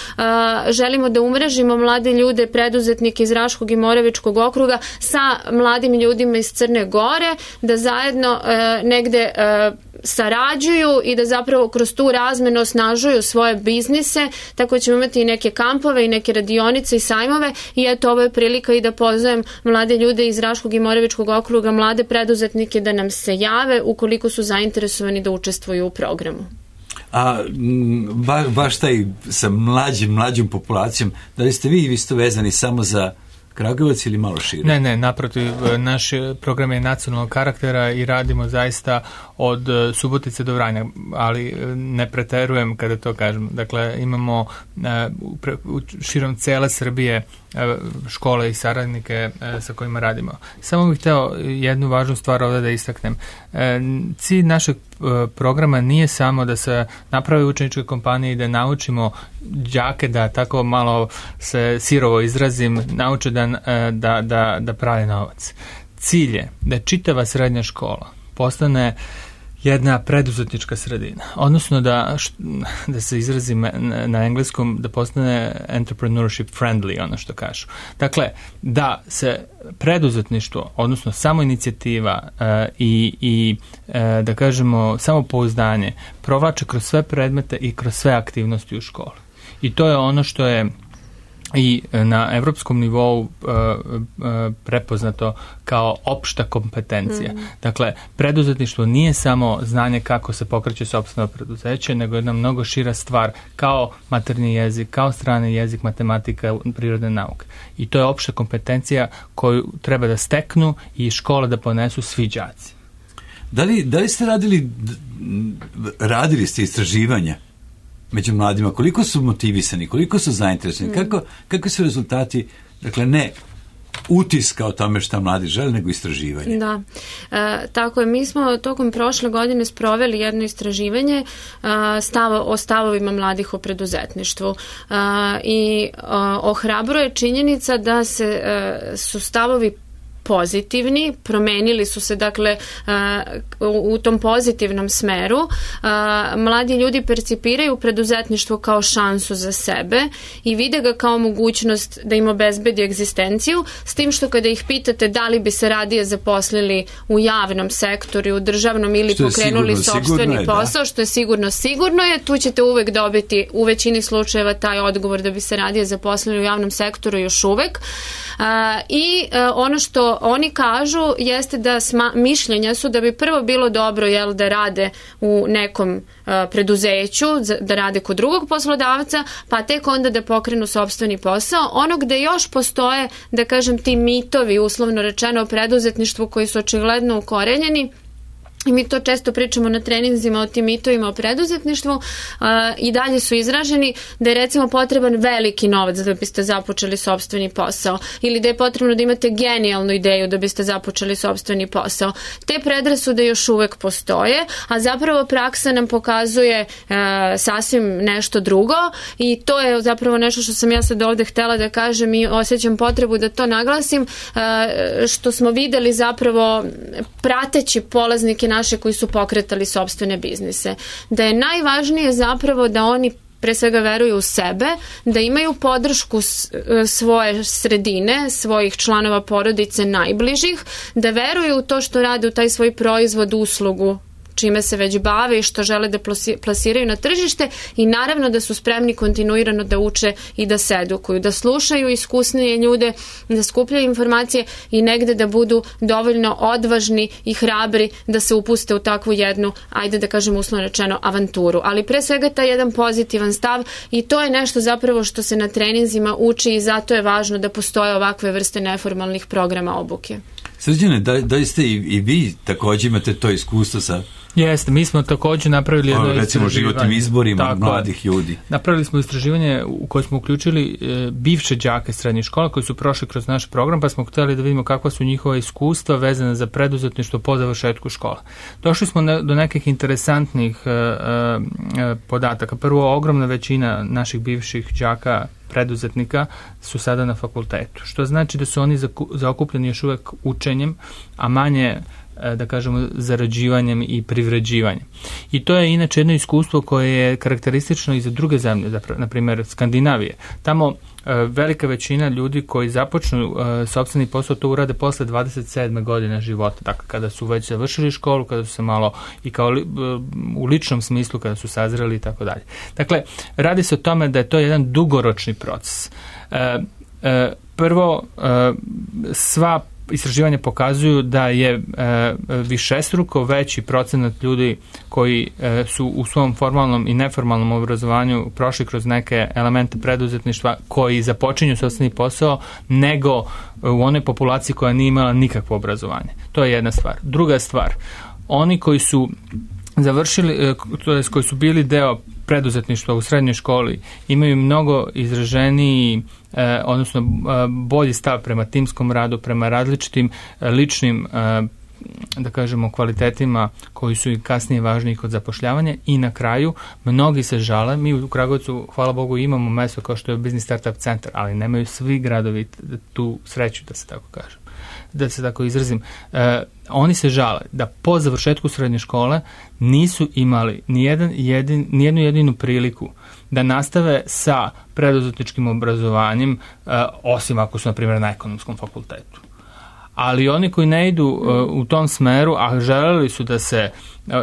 želimo da umrežimo mlade ljude, preduzetnike iz Raškog i Moravičkog okruga sa mladim ljudima iz Crne Gore, da zajedno uh, negde uh, sarađuju i da zapravo kroz tu razmenu osnažuju svoje biznise, tako ćemo imati i neke kampove i neke radionice i sajmove i eto ovo je prilika i da pozovem mlade ljude iz Raškog i Moravičkog okruga, mlade preduzetnike da nam se jave ukoliko su zainteresovani da učestvuju u programu. A ba, baš taj sa mlađim, mlađom populacijom, da li ste vi isto vezani samo za Kragujevac ili malo šire? Ne, ne, naprotiv, naš program je nacionalnog karaktera i radimo zaista od Subotice do Vranja, ali ne preterujem kada to kažem. Dakle, imamo u širom cele Srbije škole i saradnike sa kojima radimo. Samo bih hteo jednu važnu stvar ovdje da istaknem. Cilj našeg programa nije samo da se napravi učeničke kompanije i da naučimo đake da tako malo se sirovo izrazim, nauče da, da, da, da prave novac. Cilj je da čitava srednja škola postane jedna preduzetnička sredina, odnosno da, da se izrazim na engleskom, da postane entrepreneurship friendly, ono što kažu. Dakle, da se preduzetništvo, odnosno samo inicijativa uh, i, i uh, da kažemo samopouzdanje provlače kroz sve predmete i kroz sve aktivnosti u školi. I to je ono što je i na evropskom nivou uh, uh, prepoznato kao opšta kompetencija. Mm. Dakle, preduzetništvo nije samo znanje kako se pokreće sopstveno preduzeće, nego jedna mnogo šira stvar kao maternji jezik, kao strani jezik, matematika, prirodne nauke. I to je opšta kompetencija koju treba da steknu i škole da ponesu svi đaci. Da li, da li ste radili, radili ste istraživanja među mladima, koliko su motivisani, koliko su zainteresovani, mm. kako, kako su rezultati, dakle ne utiska o tome šta mladi žele, nego istraživanje. Da, e, tako je. Mi smo tokom prošle godine sproveli jedno istraživanje e, stavo, o stavovima mladih o preduzetništvu e, i e, ohrabruje činjenica da se e, su stavovi pozitivni, promenili su se dakle u tom pozitivnom smeru. Mladi ljudi percipiraju preduzetništvo kao šansu za sebe i vide ga kao mogućnost da im obezbedi egzistenciju, s tim što kada ih pitate da li bi se radije zaposlili u javnom sektoru, u državnom ili pokrenuli sopstveni posao, što je sigurno sigurno je, tu ćete uvek dobiti u većini slučajeva taj odgovor da bi se radije zaposlili u javnom sektoru još uvek. I ono što oni kažu jeste da sma, mišljenja su da bi prvo bilo dobro jel, da rade u nekom uh, preduzeću, da rade kod drugog poslodavca, pa tek onda da pokrenu sopstveni posao. Ono gde još postoje, da kažem, ti mitovi, uslovno rečeno, o preduzetništvu koji su očigledno ukorenjeni, i mi to često pričamo na treninzima o tim mitovima o preduzetništvu, uh, i dalje su izraženi da je recimo potreban veliki novac da biste započeli sopstveni posao ili da je potrebno da imate genijalnu ideju da biste započeli sopstveni posao. Te predrasude još uvek postoje, a zapravo praksa nam pokazuje uh, sasvim nešto drugo i to je zapravo nešto što sam ja sad ovde htela da kažem i osjećam potrebu da to naglasim, uh, što smo videli zapravo prateći polaznike naše koji su pokretali sopstvene biznise. Da je najvažnije zapravo da oni pre svega veruju u sebe, da imaju podršku svoje sredine, svojih članova porodice najbližih, da veruju u to što rade u taj svoj proizvod, uslugu, čime se već bave i što žele da plasiraju na tržište i naravno da su spremni kontinuirano da uče i da se edukuju, da slušaju iskusnije ljude, da skupljaju informacije i negde da budu dovoljno odvažni i hrabri da se upuste u takvu jednu, ajde da kažem uslovno rečeno, avanturu. Ali pre svega taj jedan pozitivan stav i to je nešto zapravo što se na treninzima uči i zato je važno da postoje ovakve vrste neformalnih programa obuke. Srđane, da, da ste i, i vi također imate to iskustvo sa... Jeste, mi smo također napravili jedno istraživanje. Recimo životnim izborima tako, mladih ljudi. Napravili smo istraživanje u koje smo uključili e, bivše đake srednjih škola koji su prošli kroz naš program, pa smo htjeli da vidimo kakva su njihova iskustva vezana za preduzetništvo po završetku škola. Došli smo ne, do nekih interesantnih e, e, podataka. Prvo, ogromna većina naših bivših đaka preduzetnika su sada na fakultetu, što znači da su oni zaokupljeni još uvek učenjem, a manje, da kažemo, zarađivanjem i privređivanjem. I to je inače jedno iskustvo koje je karakteristično i za druge zemlje, na primjer Skandinavije. Tamo velika većina ljudi koji započnu sopstveni posao to urade posle dvadeset sedme godine života, dakle kada su već završili školu, kada su se malo i kao li, u ličnom smislu kada su sazreli i tako dalje. Dakle, radi se o tome da je to jedan dugoročni proces. E, e, prvo, e, sva istraživanja pokazuju da je e, višestruko veći procenat ljudi koji e, su u svom formalnom i neformalnom obrazovanju prošli kroz neke elemente preduzetništva koji započinju sopstveni posao nego u onoj populaciji koja nije imala nikakvo obrazovanje. To je jedna stvar. Druga stvar, oni koji su završili, to jest koji su bili deo preduzetništva u srednjoj školi, imaju mnogo izraženiji, eh, odnosno eh, bolji stav prema timskom radu, prema različitim eh, ličnim, eh, da kažemo, kvalitetima koji su i kasnije važniji kod zapošljavanja. I na kraju, mnogi se žale, mi u Kragujevcu, hvala Bogu, imamo mesto kao što je Business Startup Centar, ali nemaju svi gradovi tu sreću, da se tako kažem, da se tako izrazim. E, oni se žale da po završetku srednje škole nisu imali nijedan jedin, nijednu jedinu priliku da nastave sa preduzetničkim obrazovanjem, e, osim ako su, na primjer, na ekonomskom fakultetu. Ali oni koji ne idu uh, u tom smeru, a želeli su da se uh,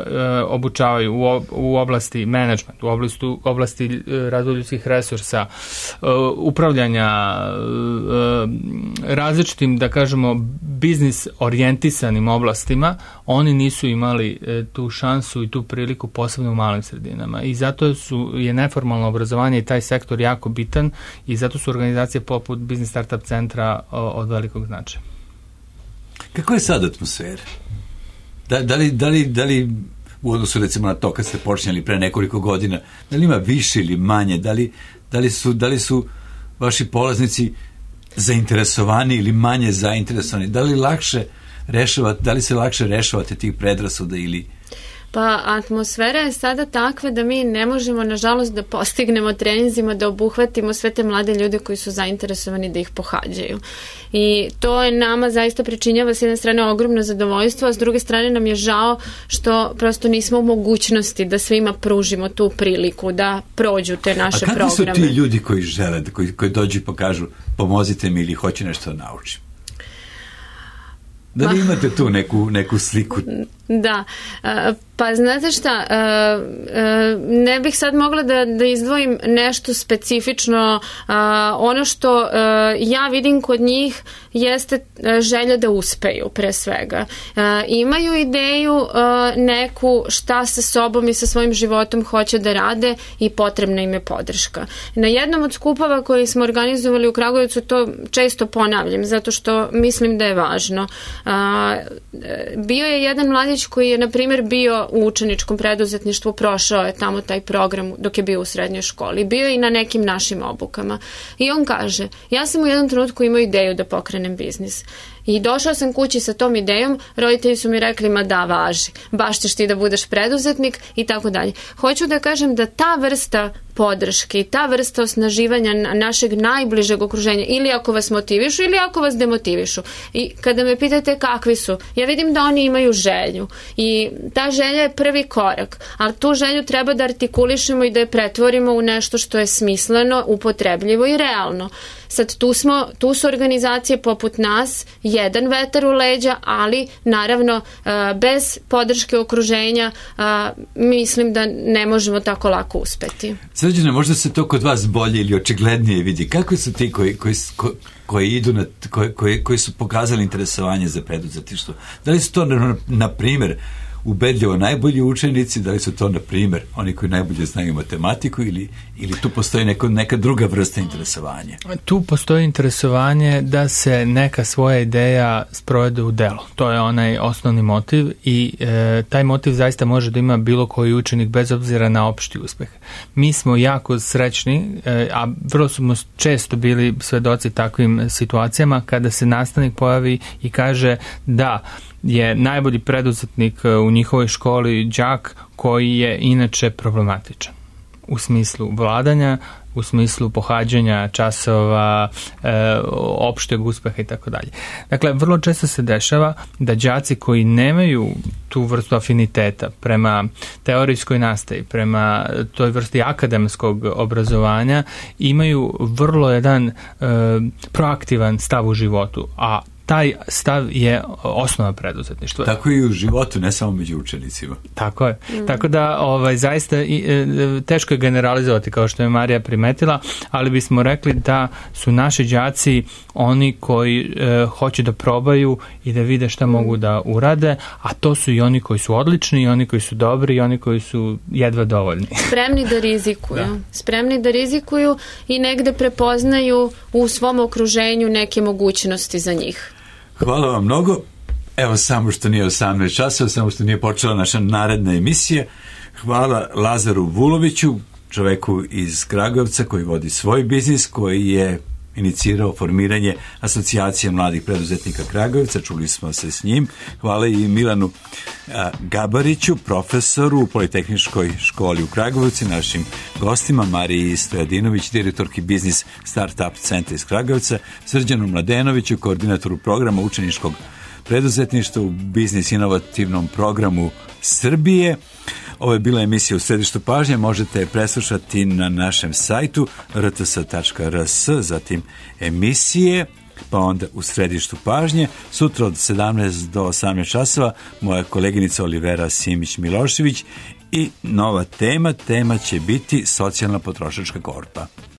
obučavaju u, ob, u oblasti menadžmenta, u oblasti, oblasti uh, razvoja ljudskih resursa, uh, upravljanja uh, različitim, da kažemo, biznis orijentisanim oblastima, oni nisu imali uh, tu šansu i tu priliku, posebno u malim sredinama. I zato su, je neformalno obrazovanje i taj sektor jako bitan i zato su organizacije poput Business Startup Centra uh, od velikog značaja. Kako je sad atmosfera? Da, da, li, da, li, da li u odnosu recimo na to kad ste počinjali pre nekoliko godina, da li ima više ili manje, da li, da li, su, da li su vaši polaznici zainteresovani ili manje zainteresovani, da li lakše rešavate, da li se lakše rešavate tih predrasuda ili... Pa atmosfera je sada takva da mi ne možemo, nažalost, da postignemo treninzima, da obuhvatimo sve te mlade ljude koji su zainteresovani da ih pohađaju. I to je nama zaista pričinjava s jedne strane ogromno zadovoljstvo, a s druge strane nam je žao što prosto nismo u mogućnosti da svima pružimo tu priliku da prođu te naše programe. A kakvi su ti ljudi koji žele, koji, koji dođu i pokažu pomozite mi ili hoće nešto da naučim? Da li imate tu neku, neku sliku? Da, Pa znate šta, ne bih sad mogla da, da izdvojim nešto specifično. Ono što ja vidim kod njih jeste želja da uspeju pre svega. Imaju ideju neku šta sa sobom i sa svojim životom hoće da rade i potrebna im je podrška. Na jednom od skupova koji smo organizovali u Kragujevcu to često ponavljam, zato što mislim da je važno. Bio je jedan mladić koji je, na primjer, bio u učeničkom preduzetništvu, prošao je tamo taj program dok je bio u srednjoj školi. Bio je i na nekim našim obukama. I on kaže, ja sam u jednom trenutku imao ideju da pokrenem biznis. I došao sam kući sa tom idejom, roditelji su mi rekli, ma da, važi, baš ćeš ti da budeš preduzetnik i tako dalje. Hoću da kažem da ta vrsta podrške i ta vrsta osnaživanja našeg najbližeg okruženja, ili ako vas motivišu ili ako vas demotivišu. I kada me pitate kakvi su, ja vidim da oni imaju želju i ta želja je prvi korak, ali tu želju treba da artikulišemo i da je pretvorimo u nešto što je smisleno, upotrebljivo i realno. Sad tu smo, tu su organizacije poput nas, jedan vetar u leđa, ali naravno bez podrške okruženja mislim da ne možemo tako lako uspeti. Srđane, možda se to kod vas bolje ili očiglednije vidi. Kako su ti koji, koji, koji idu na, koji, koji, koji su pokazali interesovanje za preduzetništvo? Da li su to, na, na primjer, ubedljivo najbolji učenici, da li su to, na primjer, oni koji najbolje znaju matematiku ili, ili tu postoji neko, neka druga vrsta interesovanja? Tu postoji interesovanje da se neka svoja ideja sprovede u delo. To je onaj osnovni motiv i e, taj motiv zaista može da ima bilo koji učenik bez obzira na opšti uspeh. Mi smo jako srećni, e, a vrlo smo često bili svedoci takvim situacijama kada se nastavnik pojavi i kaže da je najbolji preduzetnik u njihovoj školi đak koji je inače problematičan u smislu vladanja, u smislu pohađanja časova, e, opšteg uspeha i tako dalje. Dakle, vrlo često se dešava da đaci koji nemaju tu vrstu afiniteta prema teorijskoj nastavi, prema toj vrsti akademskog obrazovanja, imaju vrlo jedan e, proaktivan stav u životu, a taj stav je osnova preduzetništva. Tako i u životu, ne samo među učenicima. Tako je. Mm. Tako da ovaj, zaista i, e, teško je generalizovati, kao što je Marija primetila, ali bismo rekli da su naši đaci oni koji e, hoće da probaju i da vide šta mm. mogu da urade, a to su i oni koji su odlični, i oni koji su dobri, i oni koji su jedva dovoljni. Spremni da rizikuju. Da. Spremni da rizikuju i negde prepoznaju u svom okruženju neke mogućnosti za njih. Hvala vam mnogo. Evo, samo što nije osamnaest časova, samo što nije počela naša naredna emisija. Hvala Lazaru Vuloviću, čoveku iz Kragujevca koji vodi svoj biznis, koji je inicirao formiranje asocijacije mladih preduzetnika Kragujevca. Čuli smo se s njim. Hvala i Milanu a, Gabariću, profesoru u Politehničkoj školi u Kragujevcu, našim gostima, Mariji Stojadinović, direktorki biznis Startup centra iz Kragujevca, Srđanu Mladenoviću, koordinatoru programa učeničkog preduzetništva u biznis inovativnom programu Srbije. Ovo je bila emisija U središtu pažnje, možete je preslušati na našem sajtu r t s tačka r s, zatim emisije, pa onda U središtu pažnje. Sutra od sedamnaest do osamnaest časova moja koleginica Olivera Simić-Milošević i nova tema, tema će biti socijalna potrošačka korpa.